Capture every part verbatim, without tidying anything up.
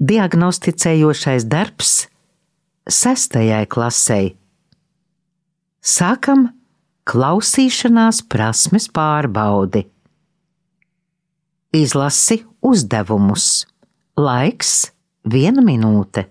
diagnosticējošais darbs sestajai klasei. Sākam klausīšanās prasmes pārbaudi. Izlasi uzdevumus. Laiks viena minūte.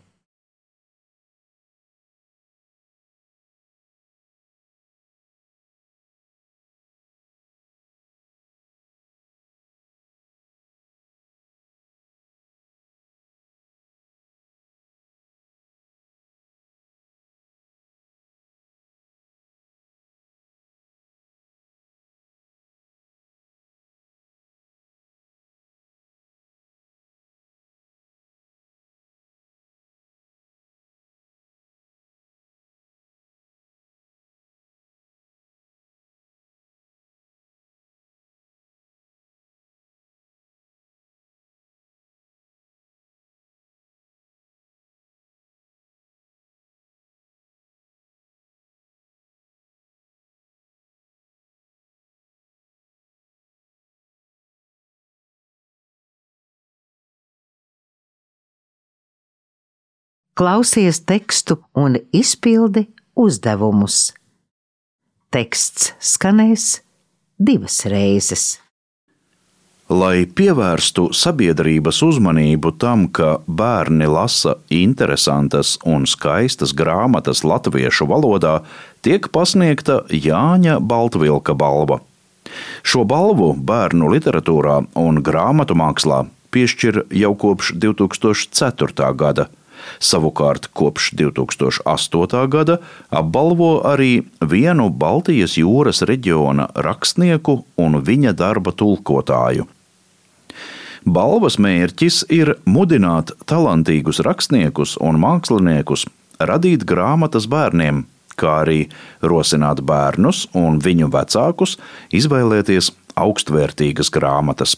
Klausies tekstu un izpildi uzdevumus. Teksts skanēs divas reizes. Lai pievērstu sabiedrības uzmanību tam, ka bērni lasa interesantas un skaistas grāmatas latviešu valodā, tiek pasniegta Jāņa Baltvilka balva. Šo balvu bērnu literatūrā un grāmatu mākslā piešķir jau kopš divi tūkstoši ceturtā gada. Savukārt kopš divi tūkstoši astotā gada apbalvo arī vienu Baltijas jūras reģiona rakstnieku un viņa darba tulkotāju. Balvas mērķis ir mudināt talantīgus rakstniekus un māksliniekus radīt grāmatas bērniem, kā arī rosināt bērnus un viņu vecākus izvēlēties augstvērtīgas grāmatas.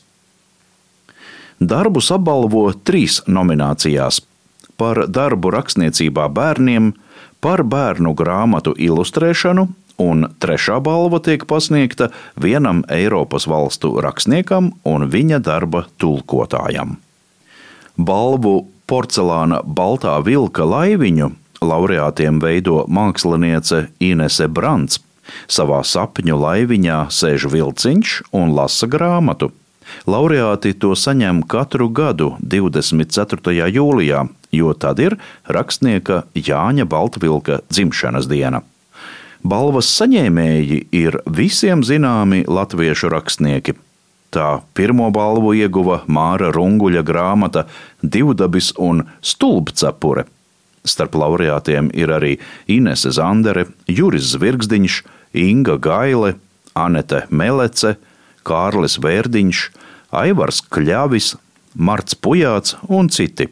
Darbus apbalvo trīs nominācijās – par darbu rakstniecībā bērniem, par bērnu grāmatu ilustrēšanu, un trešā balva tiek pasniegta vienam Eiropas valstu rakstniekam un viņa darba tulkotājam. Balvu Porcelāna baltā vilka laiviņu laureātiem veido māksliniece Inese Brants. Savā sapņu laiviņā sēž vilciņš un lasa grāmatu. Laureāti to saņem katru gadu divdesmit ceturtajā jūlijā, jo tad ir rakstnieka Jāņa Baltvilka dzimšanas diena. Balvas saņēmēji ir visiem zināmi latviešu rakstnieki. Tā pirmo balvu ieguva Māra Runguļa grāmata Divdabis un Stulbcepure. Starp laureātiem ir arī Inese Zandere, Juris Zvirgzdiņš, Inga Gaile, Anete Melece, Kārlis Vērdiņš, Aivars Kļavis, Marts Pujāts un citi.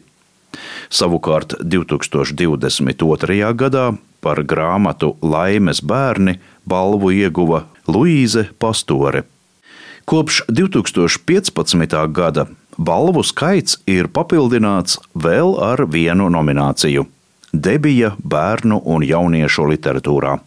Savukārt divi tūkstoši divdesmit otrajā gadā par grāmatu Laimes bērni balvu ieguva Luīze Pastore. Kopš divi tūkstoši piecpadsmitā gada balvu skaits ir papildināts vēl ar vienu nomināciju – debija bērnu un jauniešu literatūrā.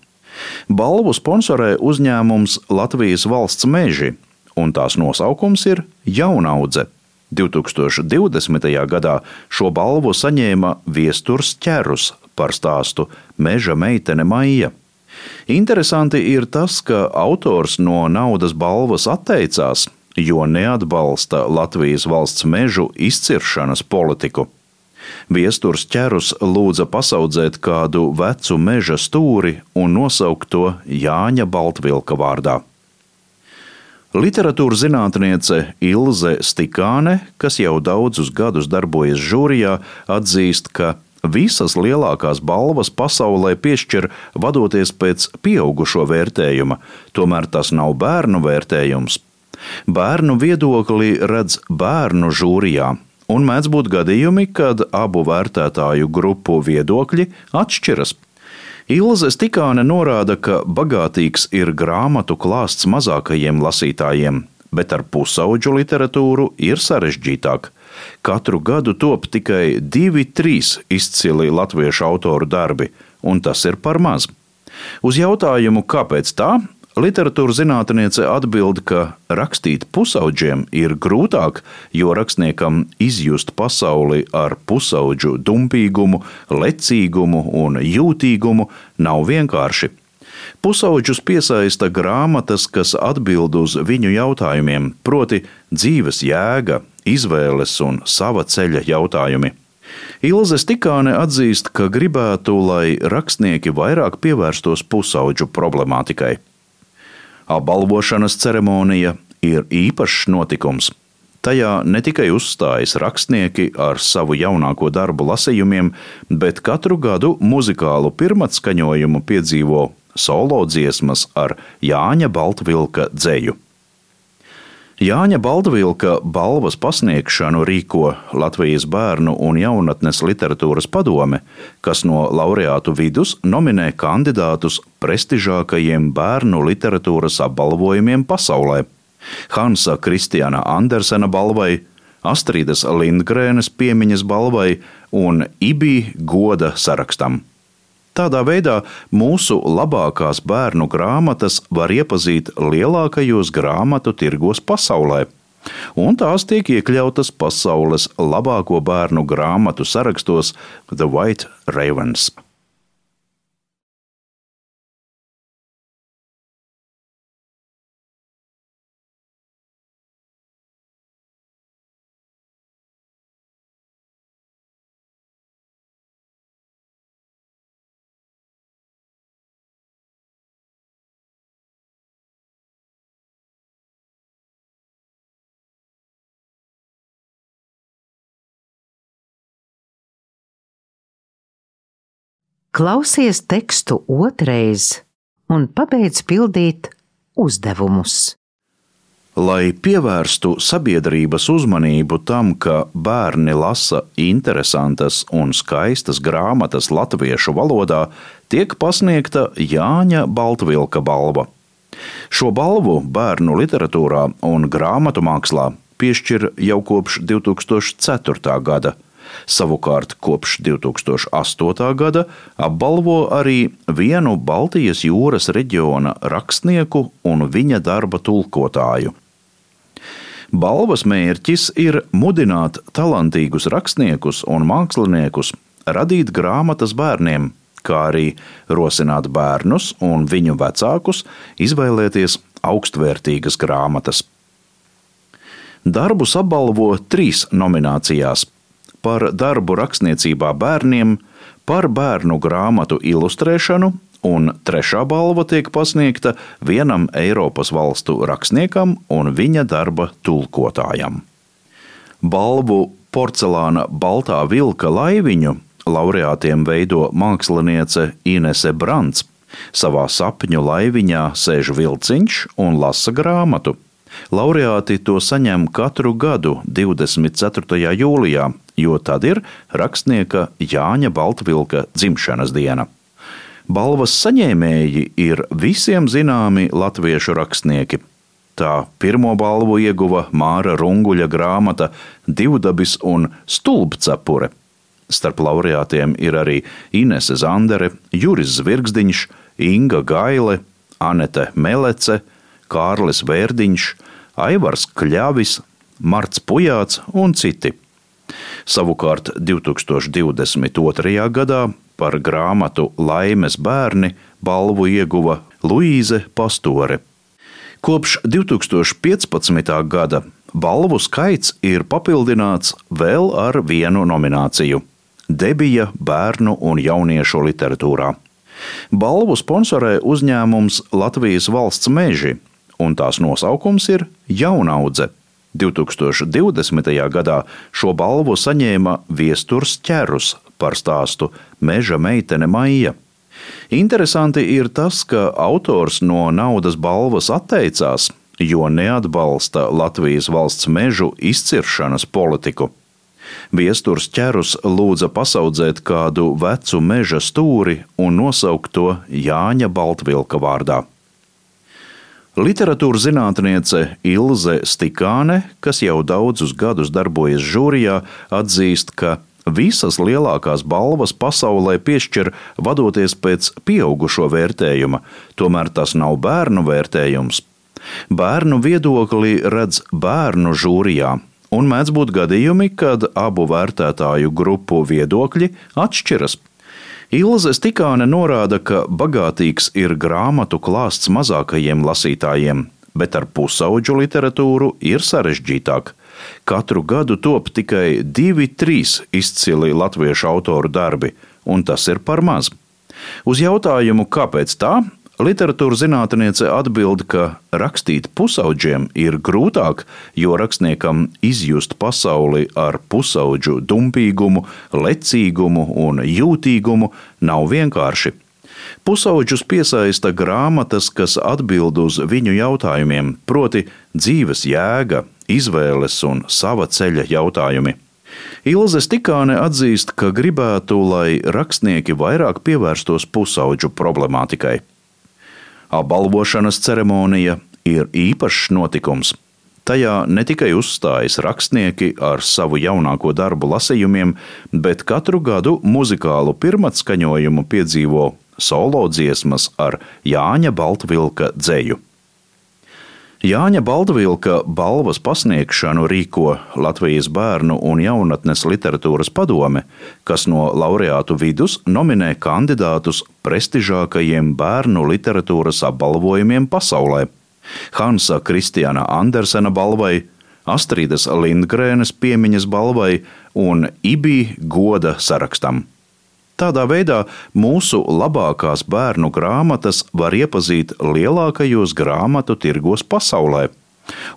Balvu sponsorē uzņēmums Latvijas valsts meži, un tās nosaukums ir Jaunaudze. divi tūkstoši divdesmitajā gadā šo balvu saņēma Viesturs Ķerus par stāstu Meža meitene Maija. Interesanti ir tas, ka autors no naudas balvas atteicās, jo neatbalsta Latvijas valsts mežu izciršanas politiku. Viesturs Ķerus lūdza pasaudzēt kādu vecu meža stūri un nosaukt to Jāņa Baltvilka vārdā. Literatūras zinātniece Ilze Stikāne, kas jau daudzus gadus darbojas žūrijā, atzīst, ka visas lielākās balvas pasaulē piešķir vadoties pēc pieaugušo vērtējuma, tomēr tas nav bērnu vērtējums. Bērnu viedokli redz bērnu žūrijā, un mēdz būt gadījumi, kad abu vērtētāju grupu viedokļi atšķiras. Ilze Stikāne norāda, ka bagātīgs ir grāmatu klāsts mazākajiem lasītājiem, bet ar pusaudžu literatūru ir sarežģītāk. Katru gadu top tikai divi, trīs izcili latviešu autoru darbi, un tas ir par maz. Uz jautājumu, kāpēc tā, literatūras zinātniece atbild, ka rakstīt pusaudžiem ir grūtāk, jo rakstniekam izjust pasauli ar pusaudžu dumpīgumu, lecīgumu un jūtīgumu nav vienkārši. Pusaudžus piesaista grāmatas, kas atbild uz viņu jautājumiem, proti dzīves jēga, izvēles un sava ceļa jautājumi. Ilze Stikāne atzīst, ka gribētu, lai rakstnieki vairāk pievērstos pusaudžu problemātikai. Apbalvošanas ceremonija ir īpašs notikums. Tajā ne tikai uzstājas rakstnieki ar savu jaunāko darbu lasījumiem, bet katru gadu muzikālu pirmatskaņojumu piedzīvo solo dziesmas ar Jāņa Baltvilka dzeju. Jāņa Baltvilka balvas pasniegšanu rīko Latvijas bērnu un jaunatnes literatūras padome, kas no laureātu vidus nominē kandidātus prestižākajiem bērnu literatūras apbalvojumiem pasaulē – Hansa Kristiāna Andersena balvai, Astrīdas Lindgrēnes piemiņas balvai un Ibī goda sarakstam. Tādā veidā mūsu labākās bērnu grāmatas var iepazīt lielākajos grāmatu tirgos pasaulē, un tās tiek iekļautas pasaules labāko bērnu grāmatu sarakstos The White Ravens. Klausies tekstu otrais un pabeidz pildīt uzdevumus. Lai pievērstu sabiedrības uzmanību tam, ka bērni lasa interesantas un skaistas grāmatas latviešu valodā, tiek pasniegta Jāņa Baltvilka balva. Šo balvu bērnu literatūrā un grāmatu mākslā piešķir jau kopš divi tūkstoši ceturtā gada. Savukārt kopš divi tūkstoši astotā gada apbalvo arī vienu Baltijas jūras reģiona rakstnieku un viņa darba tulkotāju. Balvas mērķis ir mudināt talantīgus rakstniekus un māksliniekus radīt grāmatas bērniem, kā arī rosināt bērnus un viņu vecākus izvēlēties augstvērtīgas grāmatas. Darbus apbalvo trīs nominācijās – par darbu rakstniecībā bērniem, par bērnu grāmatu ilustrēšanu, un trešā balva tiek pasniegta vienam Eiropas valstu rakstniekam un viņa darba tulkotājam. Balvu Porcelāna baltā vilka laiviņu laureātiem veido māksliniece Inese Brants. Savā sapņu laiviņā sēž vilciņš un lasa grāmatu. Laureāti to saņem katru gadu divdesmit ceturtajā jūlijā, jo tad ir rakstnieka Jāņa Baltvilka dzimšanas diena. Balvas saņēmēji ir visiem zināmi latviešu rakstnieki. Tā pirmo balvu ieguva Māra Runguļa grāmata Divdabis un Stulbcepure. Starp laureātiem ir arī Inese Zandere, Juris Zvirgzdiņš, Inga Gaile, Anete Melece, Kārlis Vērdiņš, Aivars Kļavis, Marts Pujāts un citi. Savukārt divi tūkstoši divdesmit otrajā gadā par grāmatu Laimes bērni balvu ieguva Luīze Pastore. Kopš divi tūkstoši piecpadsmitā gada balvu skaits ir papildināts vēl ar vienu nomināciju – Debija bērnu un jauniešu literatūrā. Balvu sponsorē uzņēmums Latvijas valsts meži, un tās nosaukums ir Jaunaudze. divi tūkstoši divdesmitajā gadā šo balvu saņēma Viesturs Ķerus par stāstu Meža meitene Maija. Interesanti ir tas, ka autors no naudas balvas atteicās, jo neatbalsta Latvijas valsts mežu izciršanas politiku. Viesturs Ķerus lūdza pasaudzēt kādu vecu meža stūri un nosaukt to Jāņa Baltvilka vārdā. Literatūras zinātniece Ilze Stikāne, kas jau daudzus gadus darbojas žūrijā, atzīst, ka visas lielākās balvas pasaulē piešķir vadoties pēc pieaugušo vērtējuma, tomēr tas nav bērnu vērtējums. Bērnu viedokli redz bērnu žūrijā, un mēdz būt gadījumi, kad abu vērtētāju grupu viedokļi atšķiras. Ilze Stikāne norāda, ka bagātīgs ir grāmatu klāsts mazākajiem lasītājiem, bet ar pusaudžu literatūru ir sarežģītāk. Katru gadu top tikai divi, trīs izcili latviešu autoru darbi, un tas ir par maz. Uz jautājumu, kāpēc tā, literatūras zinātniece atbild, ka rakstīt pusaudžiem ir grūtāk, jo rakstniekam izjust pasauli ar pusaudžu dumpīgumu, lecīgumu un jūtīgumu nav vienkārši. Pusaudžus piesaista grāmatas, kas atbild uz viņu jautājumiem, proti dzīves jēga, izvēles un sava ceļa jautājumi. Ilze Stikāne atzīst, ka gribētu, lai rakstnieki vairāk pievērstos pusaudžu problemātikai. Apbalvošanas ceremonija ir īpašs notikums. Tajā ne tikai uzstājas rakstnieki ar savu jaunāko darbu lasījumiem, bet katru gadu muzikālu pirmatskaņojumu piedzīvo solo dziesmas ar Jāņa Baltvilka dzeju. Jāņa Baltvilka balvas pasniegšanu rīko Latvijas bērnu un jaunatnes literatūras padome, kas no laureātu vidus nominē kandidātus prestižākajiem bērnu literatūras apbalvojumiem pasaulē – Hansa Kristiana Andersena balvai, Astridas Lindgrēnes piemiņas balvai un Ibi goda sarakstam. Tādā veidā mūsu labākās bērnu grāmatas var iepazīt lielākajos grāmatu tirgos pasaulē,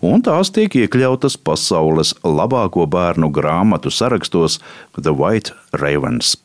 un tās tiek iekļautas pasaules labāko bērnu grāmatu sarakstos The White Ravens.